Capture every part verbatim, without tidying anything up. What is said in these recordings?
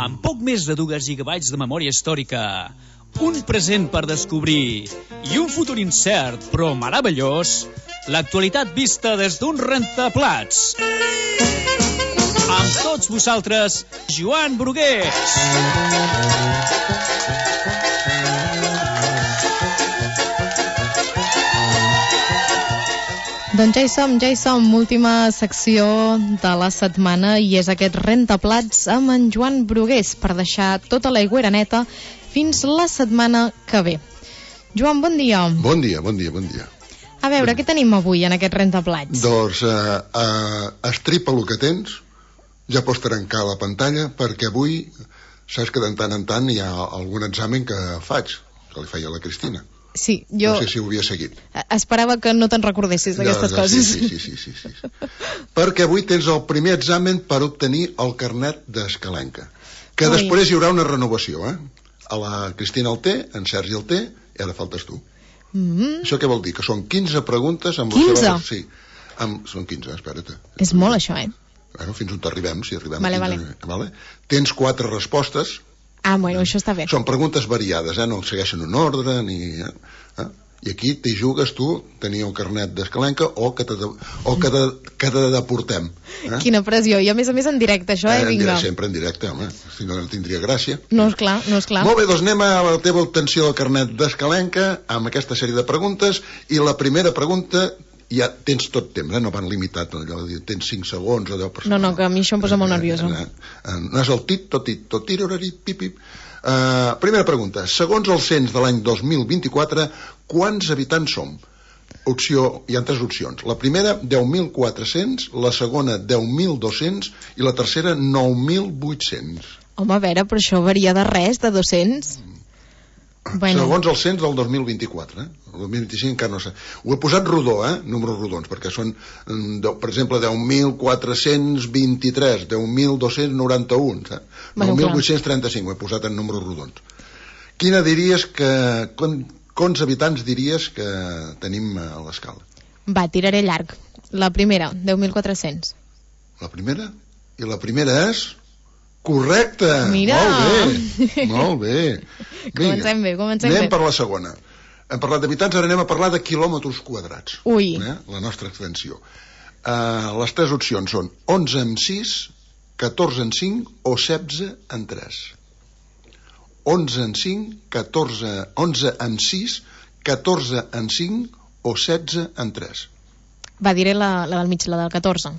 Amb poc més de dos gigabytes de memòria històrica, un present per descobrir i un futur incert però meravellós, l'actualitat vista des d'un rentaplats. Amb tots vosaltres, Joan Brugués. Doncs ja hi som, ja hi som, última secció de la setmana i és aquest rentaplats amb en Joan Brugués per deixar tota l'aigüera neta fins la setmana que ve. Joan, bon dia. Bon dia, bon dia, bon dia. A veure, bon què tenim avui en aquest rentaplats? Doncs uh, uh, estripa el que tens, ja pots trencar la pantalla, perquè avui saps que de tant en tant hi ha algun examen que faig, que li feia a la Cristina. Sí, jo... No sé si ho havia seguit. Esperava que no te'n recordessis d'aquestes coses. Sí, sí, sí, sí, sí, sí. Perquè avui tens el primer examen per obtenir el carnet d'escalenca. Que Ui. Després hi haurà una renovació, eh? A la Cristina el té, en Sergi el té, i ara faltes tu. Mm-hmm. Això què vol dir? Que són quinze preguntes amb quinze? La seva... Sí, amb... són quinze, espera't. És molt això, eh? Bueno, fins on t'arribem, si arribem vale, a quinze. Vale. Vale? Tens quatre respostes. Ah, bueno, això està bé. Són preguntes variades, eh? No segueixen un ordre, ni... Eh? I aquí t'hi jugues tu, tenir un carnet d'escalenca o que te, de... o que de... que te deportem. Eh? Quina pressió, i a més a més en directe, això, eh? eh Vinga. Sempre en directe, home, si no, no tindria gràcia. No és clar, no és clar. Molt bé, doncs anem a la teva obtenció del carnet d'escalenca amb aquesta sèrie de preguntes, i la primera pregunta... ja tens tot temps, eh? No van limitat allò, tens cinc segons allò per... no, no, que a mi això em posa molt nerviosa. No és el tit, tot tit, tot tit, pip, pip. Uh, primera pregunta, segons el cens de l'any dos mil vint-i-quatre, quants habitants som? Opció, hi ha tres opcions. La primera, deu mil quatre-cents, la segona, deu mil dos-cents i la tercera, nou mil vuit-cents. Home, a veure, però això varia de res, de dos-cents? Bueno. Segons el cens del dos mil vint-i-quatre, eh? El dos mil vint-i-cinc encara no sé. Ho he posat rodó, eh? Números rodons, perquè són, per exemple, deu mil quatre-cents vint-i-tres, deu mil dos-cents noranta-un, eh? Bueno, nou mil vuit-cents trenta-cinc, ho he posat en números rodons. Quina diries que... Quants habitants diries que tenim a l'escala? Va, tiraré llarg. La primera, deu mil quatre-cents. La primera? I la primera és... Correcte! Mira! Molt bé, molt bé. Vinga, comencem bé, comencem anem bé. per la segona. Hem parlat d'habitants, ara anem a parlar de quilòmetres quadrats. Ui! Eh? La nostra extensió. Uh, les tres opcions són onze en sis, catorze en cinc o setze en tres. onze en cinc, catorze, onze en sis, catorze en cinc o setze en tres. Va, diré la, la del mig, la del catorze.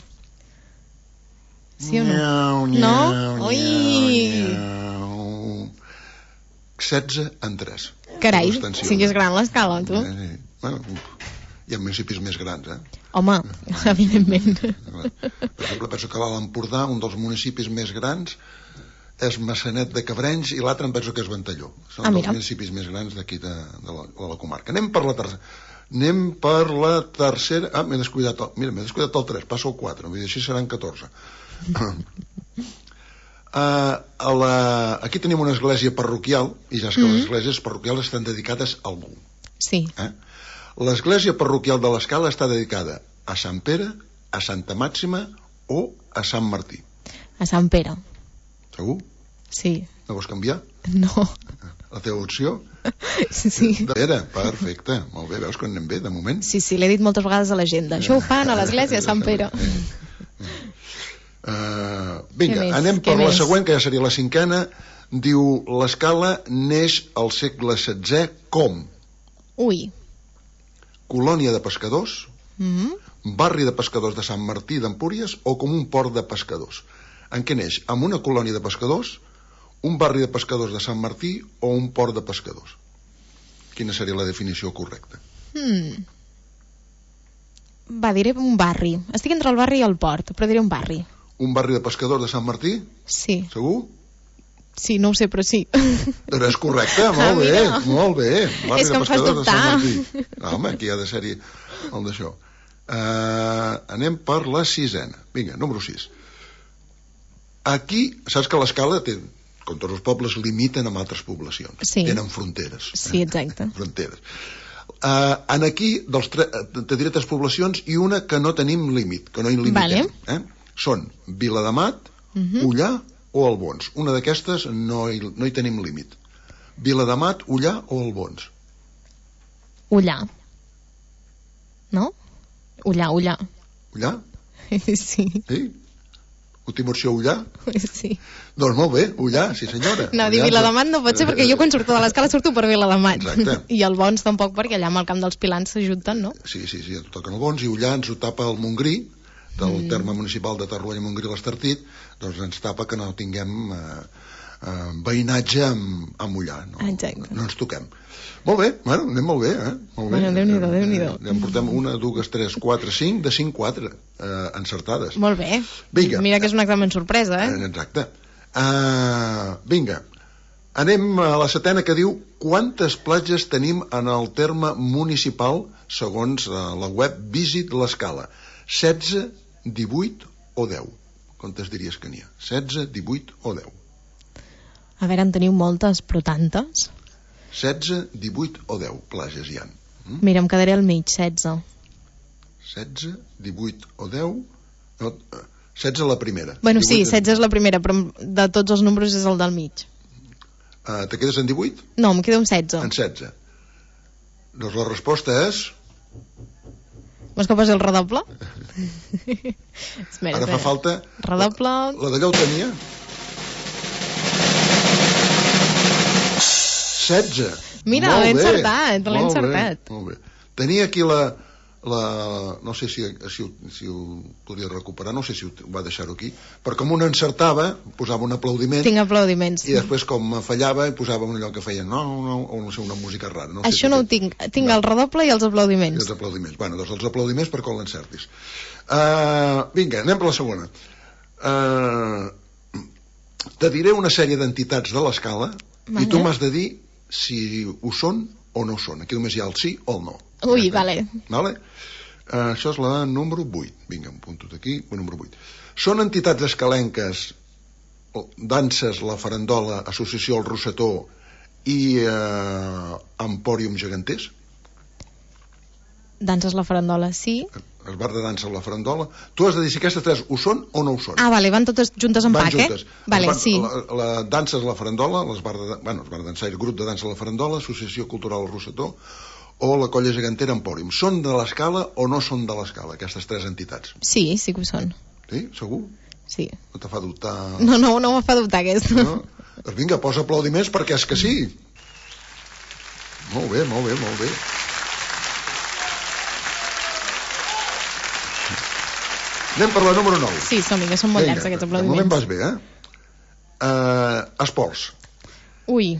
Sí o no? Nyau, nyau, no? Ui! Nyau. setze en tres. Carai, si és gran l'escala, tu. Eh, sí. Bueno, hi ha municipis més grans, eh? Home, evidentment. Per exemple, penso que l'Alt Empordà, un dels municipis més grans, és Massanet de Cabrenys, i l'altre em penso que és Ventalló. Són ah, els municipis més grans d'aquí de, de, la, de la comarca. Anem per la tercera. Anem per la tercera... Ah, m'he descuidat el... Mira, m'he descuidat el tres, passa el quatre, vull dir, així seran catorze. Uh, a la... Aquí tenim una església parroquial, i ja és que mm-hmm. les esglésies parroquials estan dedicades a algú. Sí. Eh? L'església parroquial de l'Escala està dedicada a Sant Pere, a Santa Màxima o a Sant Martí. A Sant Pere. Segur? Sí. No vols canviar? No. La teva opció? Sí. De Pere, perfecte. Molt bé, veus que anem bé, de moment? Sí, sí, l'he dit moltes vegades a l'agenda. Això ho fan a l'església de Sant Pere. Uh, vinga, anem per la següent, que ja seria la cinquena. Diu, l'Escala neix al segle setzè com? Ui. Colònia de pescadors, mm-hmm. barri de pescadors de Sant Martí d'Empúries o com un port de pescadors. En què neix? Amb una colònia de pescadors, un barri de pescadors de Sant Martí o un port de pescadors? Quina seria la definició correcta? Hmm. Va, diré un barri. Estic entre el barri i el port, però diré un barri. Un barri de pescadors de Sant Martí? Sí. Segur? Sí, no ho sé, però sí. Però és correcte, molt bé, ah, molt bé. Barri és que em fas dubtar. No, home, aquí ha de ser-hi el d'això. Uh, anem per la sisena. Vinga, número sis. Aquí, saps que l'Escala té, com tots els pobles, limiten amb altres poblacions. Sí. Tenen fronteres. Sí, exacte. Eh? Fronteres. Uh, en aquí, dels tre... te diré tres poblacions i una que no tenim límit, que no hi limitem. Vale. Eh? Són Viladamat, uh-huh. Ullà o Albons. Una d'aquestes no hi, no hi tenim límit. Viladamat, Ullà o Albons? Ullà. No? Ullà, Ullà. Ullà? Sí. Sí? Última opció, Ullà? Sí. Doncs molt bé, Ullà, sí senyora. No, dir Viladamat no pot ser perquè jo quan surto de l'escala surto per Viladamat. Exacte. I el Bons tampoc perquè allà amb el camp dels Pilans s'ajunten, no? Sí, sí, sí, toquen el Bons i Ullà ens ho tapa el Montgrí, del mm. terme municipal de Torroella, Montgrí, l'Estartit, doncs ens tapa que no tinguem eh, eh, veïnatge amb, amb Ullà. No, Exacte. No ens toquem. Molt bé, bueno, anem molt bé, eh? Molt bé. Bueno, Déu-n'hi-do, Déu-n'hi-do. Ja en portem una, dues, tres, quatre, cinc, de cinc, quatre eh, encertades. Molt bé. Vinga. Mira que és un examen sorpresa, eh? Exacte. Uh, vinga, anem a la setena que diu quantes platges tenim en el terme municipal segons uh, la web Visit l'Escala. setze, divuit o deu? Quantes diries que n'hi ha? setze, divuit o deu? A veure, en teniu moltes, però tantes? setze, divuit o deu platges hi ha. Mm? Mira, em quedaré al mig, setze. setze, divuit o deu? No, setze la primera. Bueno, sí, setze és la primera, però de tots els números és el del mig. Uh, te quedes en divuit? No, em quedo en setze. En setze. Doncs la resposta és... Vols que posi el redoble? Espera, Ara fa falta... Redoble... La, la d'allò ho tenia? setze. Mira, l'he encertat, l'he encertat. Molt bé. Tenia aquí la... la no sé si, si, si ho podia recuperar, no sé si ho va deixar-ho aquí, però com un encertava, posava un aplaudiment. Tinc aplaudiments. I després, com fallava, posava un allò que feia no, no, o no sé, una música rara. No Això sé no ho què. tinc. Tinc no. el redoble i els aplaudiments. I els aplaudiments. Bueno, doncs els aplaudiments per quan l'encertis. Uh, vinga, anem per la segona. Uh, te diré una sèrie d'entitats de l'escala vale. I tu m'has de dir si ho són o no ho són. Aquí només hi ha el sí o el no. Ui, ja vale. Vale? Uh, això és la número vuit. Vinga, un punt aquí, la número vuit. Són entitats escalenques, danses, la farandola, associació el Rosetó i uh, Empòrium Geganters? Danses la farandola, sí. El bar de dansa la farandola. Tu has de dir si aquestes tres ho són o no ho són. Ah, vale, van totes juntes en van pack, juntes. eh? Vale, van, sí. La, la dansa és la farandola, les bar de, bueno, els bar de dansa, el grup de dansa la farandola, associació cultural el Rosetó o la colla gegantera Empòrium. Són de l'escala o no són de l'escala, aquestes tres entitats? Sí, sí que ho són. Sí? Segur? Sí. No te fa dubtar? No, no, no me fa dubtar aquesta. No? Doncs vinga, posa aplaudiments perquè és que sí. Molt bé, molt bé, molt bé. Anem per la número nou. Sí, som-hi, que són molt llargs aquests aplaudiments. De moment vas bé, eh? Uh, esports. Ui.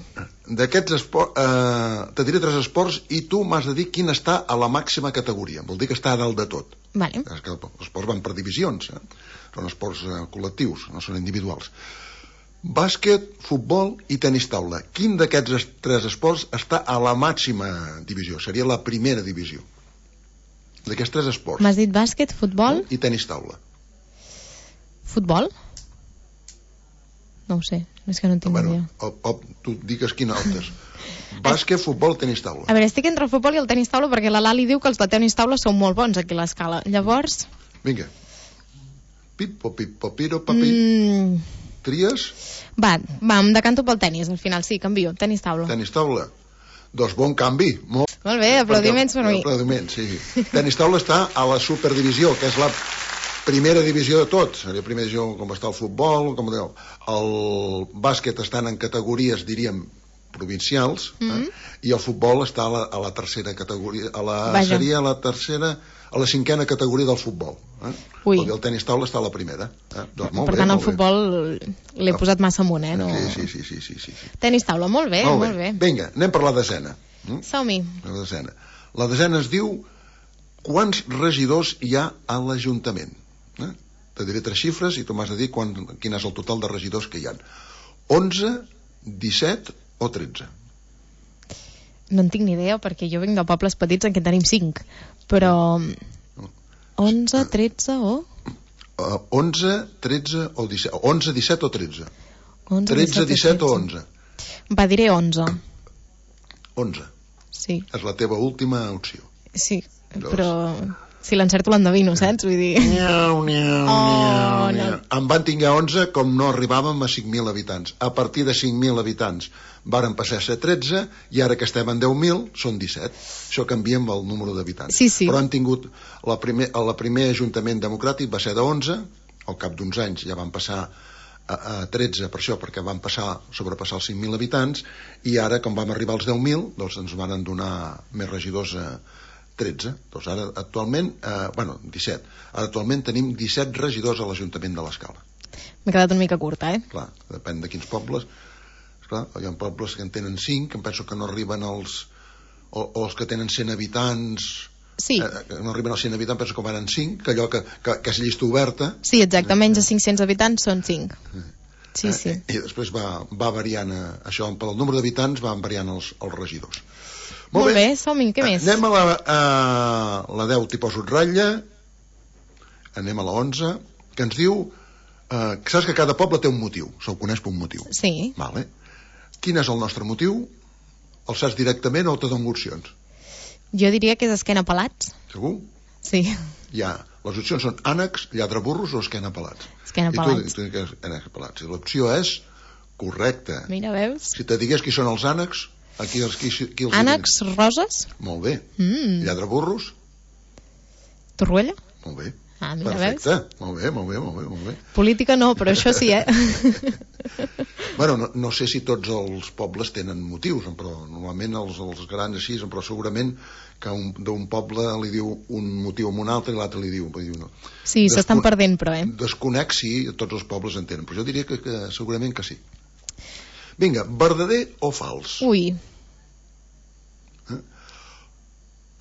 D'aquests esports, uh, te diré tres esports i tu m'has de dir quin està a la màxima categoria. Vol dir que està a dalt de tot. Vale. És que els esports van per divisions, eh? Són esports uh, col·lectius, no són individuals. Bàsquet, futbol i tenis taula. Quin d'aquests tres esports està a la màxima divisió? Seria la primera divisió d'aquests tres esports. M'has dit bàsquet, futbol? I tenis taula. Futbol? No ho sé, és que no en tinc bueno, idea. Op, op, tu digues quina optes. Bàsquet, futbol, tenis taula. A veure, estic entre el futbol i el tenis taula perquè la Lali diu que els de tenis taula són molt bons aquí a l'escala. Llavors... Vinga. Pipo, pipo, piro, papi. Mm. Tries? Va, va, em decanto pel tenis, al final, sí, canvio. Tenis taula. Tenis taula. Doncs bon canvi. Molt, molt bé, aplaudiments per mi. Aplaudiments, sí. Tenis taula està a la superdivisió, que és la primera divisió de tot. Seria la primera divisió com està el futbol, com dèieu. El bàsquet estan en categories, diríem, provincials, mm -hmm. eh? I el futbol està a la, a la tercera categoria, a la, seria la tercera, a la cinquena categoria del futbol. Eh? Ui. El tenis taula està a la primera. Eh? Doncs molt per bé, tant, el bé. futbol l'he posat massa amunt, eh? No... Sí, sí, sí, sí, sí, sí. Tenis taula, molt bé, molt bé. Molt bé. Vinga, anem per la desena. Mm? Som-hi. La desena. La desena es diu quants regidors hi ha a l'Ajuntament. Eh? Te diré tres xifres i tu m'has de dir quan, quin és el total de regidors que hi ha. onze, disset o tretze? No en tinc ni idea perquè jo vinc de pobles petits en què tenim cinc, però onze, tretze o... Uh, onze, tretze o disset. onze, disset o tretze? tretze, disset o onze? Va, diré onze. onze. Sí. És la teva última opció. Sí, doncs... però Si l'encerto l'endevino, saps? Vull dir... Niau, niau, Oh, niau, no. niau. En van tinguer onze, com no arribàvem a cinc mil habitants. A partir de cinc mil habitants varen passar a ser tretze, i ara que estem en deu mil, són disset. Això canvia amb el número d'habitants. Sí, sí. Però han tingut... La primer, el primer ajuntament democràtic va ser de onze, al cap d'uns anys ja van passar a, a tretze, per això, perquè van passar, sobrepassar els cinc mil habitants, i ara, com vam arribar als deu mil, doncs ens van donar més regidors a tretze. Doncs ara, actualment, eh, bueno, disset. Ara, actualment, tenim disset regidors a l'Ajuntament de l'Escala. M'he quedat una mica curta, eh? Clar, depèn de quins pobles. Esclar, hi ha pobles que en tenen cinc, que em penso que no arriben als... O, o els que tenen cent habitants... Sí. Eh, que no arriben als cent habitants, penso que van en cinc, que allò que, que, que és llista oberta... Sí, exacte, menys de cinc-cents habitants són cinc. Sí, eh, sí. I després va, va variant, eh, això, pel número d'habitants van variant els, els regidors. Molt, Molt bé, bé som-hi, què més? Anem a la, a la deu, t'hi poso ratlla, anem a la onze, que ens diu... Eh, que saps que cada poble té un motiu, se'l coneix per un motiu. Sí. Vale. Quin és el nostre motiu? El saps directament o te dono opcions? Jo diria que és esquena pelats. Segur? Sí. Ja, les opcions són ànecs, lladreburros o esquena pelats. Esquena pelats. I tu, tu dius que és pelats. I l'opció és correcta. Mira, veus? Si te digués qui són els ànecs, aquí els, qui, qui els ànecs diuen? roses? Molt bé. Mm. Lladreburros? Torroella? Molt bé. Ah, mira, perfecte. Veus? Molt bé, molt bé, molt bé, molt bé. Política no, però això sí, eh? Bueno, no, no sé si tots els pobles tenen motius, però normalment els, els grans així, però segurament que un, d'un poble li diu un motiu a un altre i l'altre li diu... diu no. Sí, Descon... s'estan perdent, però, eh? Desconec si tots els pobles en tenen, però jo diria que, que segurament que sí. Vinga, verdader o fals? Ui. Eh?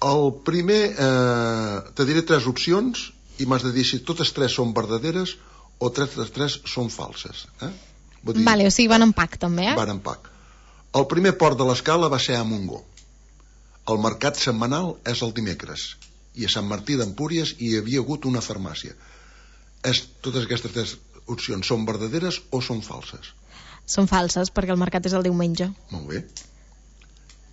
El primer... Eh, te diré tres opcions i m'has de dir si totes tres són verdaderes o tres de tres són falses. Eh? Dir, vale, o sigui, van en pack, també, eh? Van en pack. El primer port de l'Escala va ser a Montgó. El mercat setmanal és el dimecres. I a Sant Martí d'Empúries hi havia hagut una farmàcia. És, totes aquestes tres opcions són verdaderes o són falses? Són falses, perquè el mercat és el diumenge. Molt bé.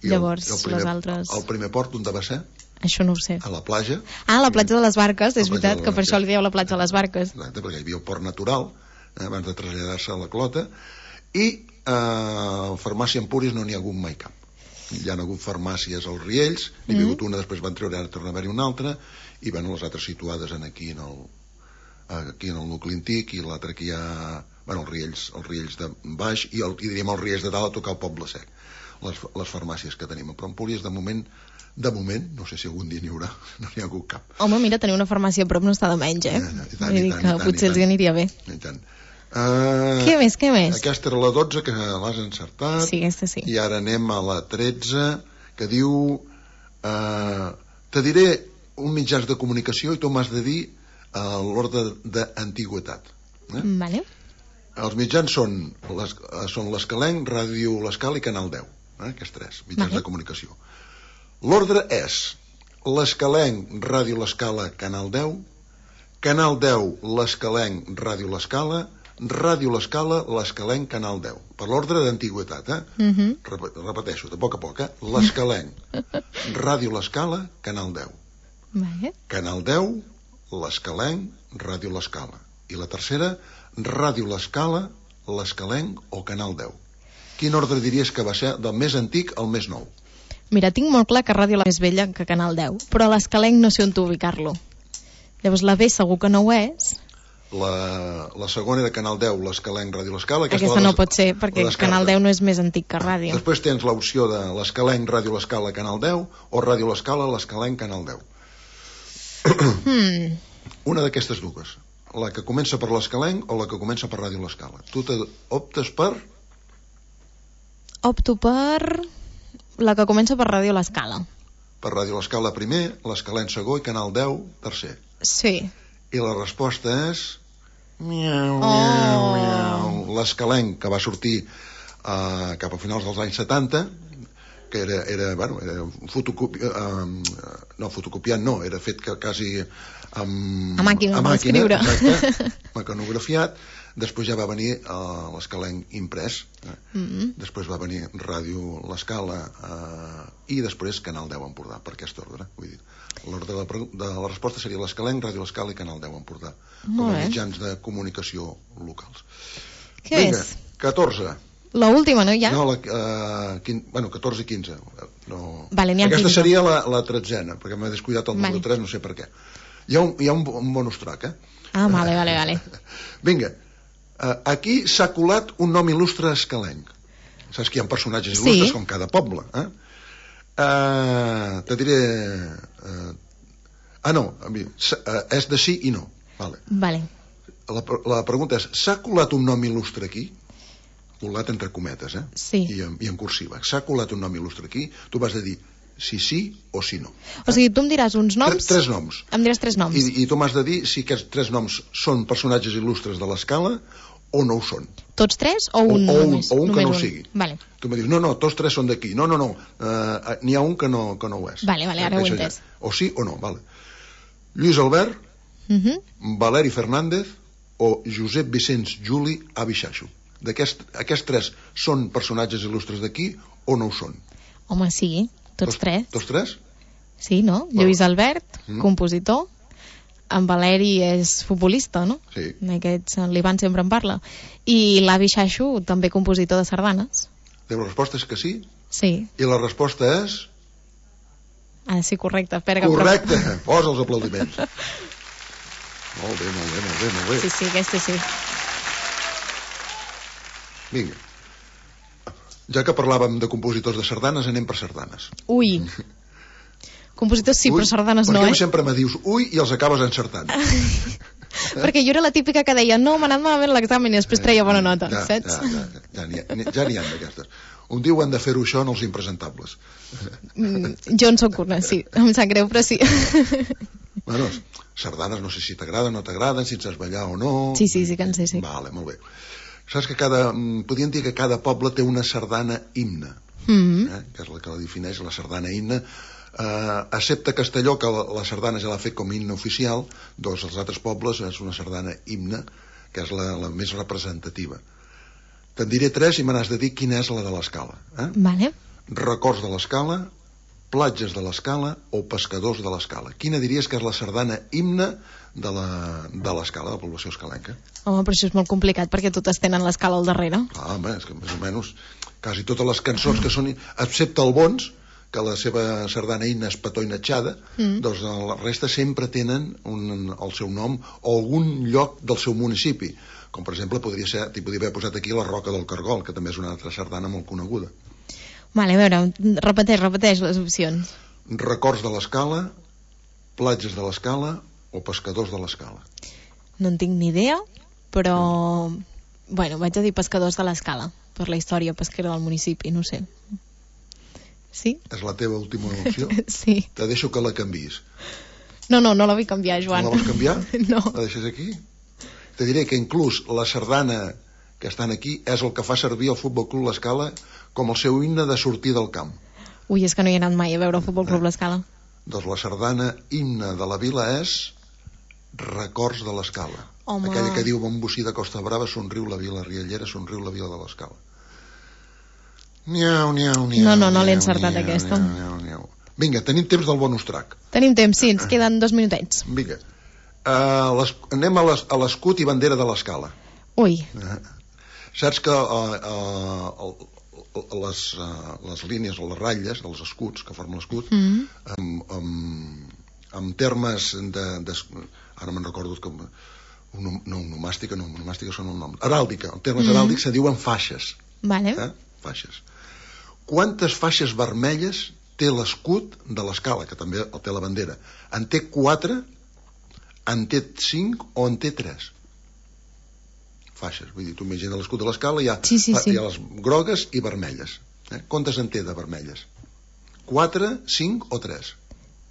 I Llavors, el, el primer, les altres... El primer port on va ser? Això no ho sé. A la platja. Ah, a la platja de les Barques, és veritat, que per això li dieu la platja de les Barques. Exacte, perquè hi havia el port natural, eh, abans de traslladar-se a la Clota, i eh, farmàcia Empúries no n'hi ha hagut mai cap. Hi ha hagut farmàcies als Riells, n'hi ha hagut mm. una, després van treure, ara torna a haver-hi una altra, i bueno, les altres situades en aquí en el, aquí en el nucli antic, i l'altra aquí hi ha, bueno, els Riells, els Riells de baix, i, el, i diríem els Riells de dalt a tocar el Poble Sec, les, les farmàcies que tenim. Però Empúries, de moment, de moment, no sé si algun dia n'hi haurà, no n'hi ha hagut cap. Home, mira, tenir una farmàcia a prop no està de menys, eh? I tant, i tant, Vull dir i tant, que i tant, potser els aniria bé. I tant. Uh, què més, què més? Aquesta era la dotze, que l'has encertat. Sí, aquesta sí. I ara anem a la tretze, que diu... Uh, te diré un mitjans de comunicació i tu m'has de dir uh, l'ordre d'antigüitat. Eh? Vale. Els mitjans són les, són l'Escalenc, Ràdio l'Escala i Canal deu. Eh? Aquests tres mitjans vale. De comunicació. L'ordre és l'Escalenc, Ràdio l'Escala, Canal deu, Canal deu, l'Escalenc, Ràdio l'Escala, Ràdio l'Escala, l'Escalenc, Canal deu. Per l'ordre d'antigüitat, eh? Uh-huh. Rep repeteixo, de poc a poc, eh? L'Escalenc, Ràdio l'Escala, Canal deu. Vale. Canal deu, l'Escalenc, Ràdio l'Escala. I la tercera, Ràdio l'Escala, l'Escalenc o Canal deu. Quin ordre diries que va ser del més antic al més nou? Mira, tinc molt clar que Ràdio la més vella que Canal deu, però a l'Escalenc no sé on ubicar-lo. Llavors la B segur que no ho és. La, la segona era Canal deu, l'Escalenc, Ràdio l'Escala. Aquesta, aquesta no pot ser, perquè Canal deu no és més antic que Ràdio. Després tens l'opció de l'Escalenc, Ràdio l'Escala, Canal deu, o Ràdio l'Escala, l'Escalenc, Canal deu. Hmm. Una d'aquestes dues. La que comença per l'Escalenc o la que comença per Ràdio l'Escala. Tu optes per... Opto per... la que comença per Ràdio l'Escala. Per Ràdio l'Escala primer, l'Escalenc segon i Canal deu tercer. Sí. I la resposta és... Miau, miau, oh. miau. L'Escalenc, que va sortir uh, cap a finals dels anys setanta, que era, era, bueno, era fotocopi... Uh, no, fotocopiant no, era fet que quasi amb... A màquina, a màquina, escriure. Exacte, mecanografiat. Després ja va venir uh, l'Escalenc imprès, eh? mm-hmm. Després va venir Ràdio L'Escala uh, i després Canal deu Empordà, per aquest ordre. Vull dir, l'ordre de, la, de la resposta seria l'Escalenc, Ràdio L'Escala i Canal deu Empordà, com a mitjans de comunicació locals. Què Vinga, és? catorze. La última, no, ja? No, la, uh, quin, bueno, catorze i quinze. No. Vale, aquesta seria la, la tretzena, perquè m'he descuidat el número vale. tres, no sé per què. Hi ha un, hi ha un, un bonus track, eh? Ah, vale, vale, vale. Vinga, uh, aquí s'ha colat un nom il·lustre escalenc. Saps que hi ha personatges il·lustres, sí. Com cada poble, eh? Uh, te diré... Uh, ah, no, uh, és de sí i no. Vale. Vale. La, la pregunta és, s'ha colat un nom il·lustre aquí? Colat entre cometes, eh? Sí. I en, i en cursiva. S'ha colat un nom il·lustre aquí? Tu vas de dir si sí o si no. O sigui, tu em diràs uns noms... Tres, tres noms. Em diràs tres noms. I, i tu m'has de dir si aquests tres noms són personatges il·lustres de l'escala o no ho són. Tots tres o un o, o només? Un, o un només que no un. ho sigui. Vale. Tu em dius, no, no, tots tres són d'aquí. No, no, no, uh, n'hi ha un que no, que no ho és. Vale, vale, ara ho he entès. O sí o no, vale. Lluís Albert, uh -huh. Valeri Fernández o Josep Vicenç Juli Abixaixo. D'aquests aquest tres són personatges il·lustres d'aquí o no ho són? Home, sí, tots, tots tres. Tots tres? Sí, no? Bueno. Lluís Albert, mm. compositor, en Valeri és futbolista, no? Sí. Aquests, l'Ivan sempre en parla. I l'Avi Xaixo, també compositor de sardanes. La resposta és que sí? Sí. I la resposta és? Ah, sí, correcte. Espera, correcte, que... posa els aplaudiments. Molt bé, molt bé, molt bé, molt bé. Sí, sí, aquesta sí. Vinga. Ja que parlàvem de compositors de sardanes, anem per sardanes. Ui. Compositors sí, ui, però sardanes no, eh? Perquè sempre me dius ui i els acabes encertant. Perquè jo era la típica que deia no, m'ha anat malament l'examen i després treia bona nota, ja, saps? Ja, ja, ja, n'hi ha, ja n'hi ha d'aquestes. Un dia ho han de fer-ho això en els impresentables. Mm, jo en soc una, sí. Em sap greu, però sí. Bueno, sardanes no sé si t'agraden o no t'agraden, si ets saps ballar o no... Sí, sí, sí que en sé, sí. Vale, molt bé. Saps que cada... Podríem dir que cada poble té una sardana himne, mm-hmm. eh? Que és la que la defineix, la sardana himne. Uh, excepte Castelló, que la, la sardana ja l'ha fet com a himne oficial, doncs els altres pobles és una sardana himne, que és la, la més representativa. Te'n diré tres i me n'has de dir quina és la de l'Escala. Eh? Vale. Records de l'Escala, platges de l'Escala o pescadors de l'Escala. Quina diries que és la sardana himne de l'Escala, de la població escalenca? Home, però això és molt complicat perquè totes tenen l'Escala al darrere. Ah, home, és que més o menys quasi totes les cançons que són, excepte el Bons, que la seva sardana himne és Petó i Natxada, mm. doncs la resta sempre tenen un, el seu nom o algun lloc del seu municipi, com per exemple podria ser, t'hi podria haver posat aquí la Roca del Cargol, que també és una altra sardana molt coneguda. Vale, a veure, repeteix, repeteix les opcions. Records de l'Escala, platges de l'Escala o pescadors de l'Escala. No en tinc ni idea, però mm. bueno, vaig a dir pescadors de l'Escala, per la història pesquera del municipi, no sé. Sí? És la teva última opció? Sí. Te deixo que la canviïs. No, no, no la vull canviar, Joan. No la vols canviar? No. La deixes aquí? Te diré que inclús la sardana que estan aquí és el que fa servir el Futbol Club L'Escala com el seu himne de sortir del camp. Ui, és que no hi he anat mai a veure el Futbol Club L'Escala. Eh? Doncs la sardana himne de la vila és Records de l'Escala. Home. Aquella que diu bon bocí de Costa Brava, somriu la vila riallera, somriu la vila de l'Escala. Niau, niau, niau. No, no, no l'he encertat niau, aquesta. Niau, niau, niau. Vinga, tenim temps del bonus track. Tenim temps, sí, ens queden dos minutets. Vinga. Uh, les, anem a l'escut i bandera de l'Escala. Ui. Uh, saps que uh, uh, les, uh, les línies o les ratlles dels escuts que formen l'escut, mm -hmm. amb, amb, amb termes de, de... Ara me'n recordo que... Un, no, onomàstica, no, onomàstica són un nom. Heràldica, en termes mm -hmm. heràldics se diuen faixes. Vale. Eh? Faixes. Quantes faixes vermelles té l'escut de l'Escala, que també té la bandera? En té quatre, en té cinc o en té tres? Faixes, vull dir, tu imagina l'escut de l'Escala, hi ha, sí, sí, sí. hi ha les grogues i vermelles. Eh? Quantes en té de vermelles? Quatre, cinc o tres?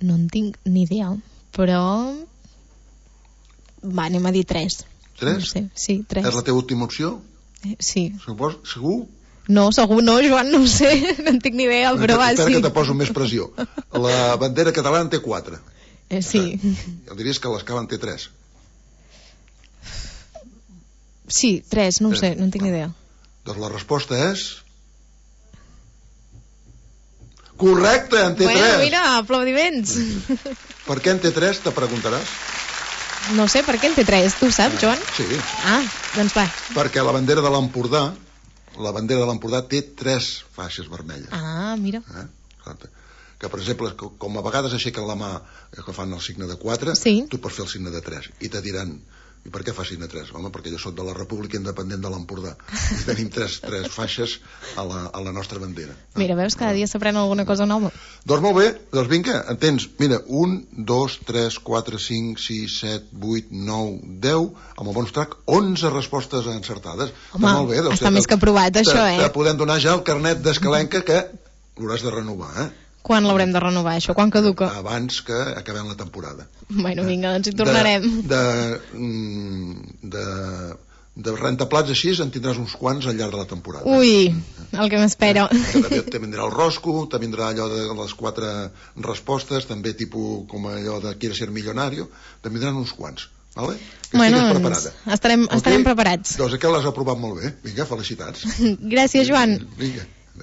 No en tinc ni idea, però... Va, anem a dir tres. Tres? No sé. Sí, tres. És la teva última opció? Eh, sí. Supos, segur? No, segur no, Joan, no ho sé, no en tinc ni idea, però va, espera sí. que te poso més pressió. La bandera catalana en té quatre. Eh, sí. Ja diries que l'Escala en té tres. Sí, tres, no ho sé, no en tinc ni idea. Doncs la resposta és... Correcte, en té bueno, tres. Bueno, mira, aplaudiments. Per què en té tres, te preguntaràs? No sé, per què en té tres? Tu ho saps, Joan? Sí. Ah, doncs va. Perquè la bandera de l'Empordà, la bandera de l'Empordà té tres faixes vermelles. Ah, mira. Eh? Que, per exemple, com a vegades aixequen la mà que fan el signe de quatre, sí. Tu pots fer el signe de tres. I te diran... I per què fa signe tres? Home, perquè jo soc de la República Independent de l'Empordà. I tenim tres, tres faixes a la, a la nostra bandera. Mira, veus, cada dia s'aprèn alguna cosa nova. Doncs molt bé, doncs vinga, en tens, mira, un, dos, tres, quatre, cinc, sis, set, vuit, nou, deu, amb el bonus track, onze respostes encertades. Home, molt bé, doncs, està més que aprovat, això, eh? Te podem donar ja el carnet d'escalenca que l'hauràs de renovar, eh? Quan l'haurem de renovar, això? Quan caduca? Abans que acabem la temporada. Bueno, vinga, doncs hi tornarem. De, de, de, de rentaplats així en tindràs uns quants al llarg de la temporada. Ui, el que m'espera. També te vindrà el rosco, te vindrà allò de les quatre respostes, també tipus com allò de Quiere ser millonario, te vindran uns quants. Vale? Que bueno, estigues preparada. Estarem, okay? estarem preparats. Doncs aquest l'has aprovat molt bé. Vinga, felicitats. Gràcies, Joan. Vinga.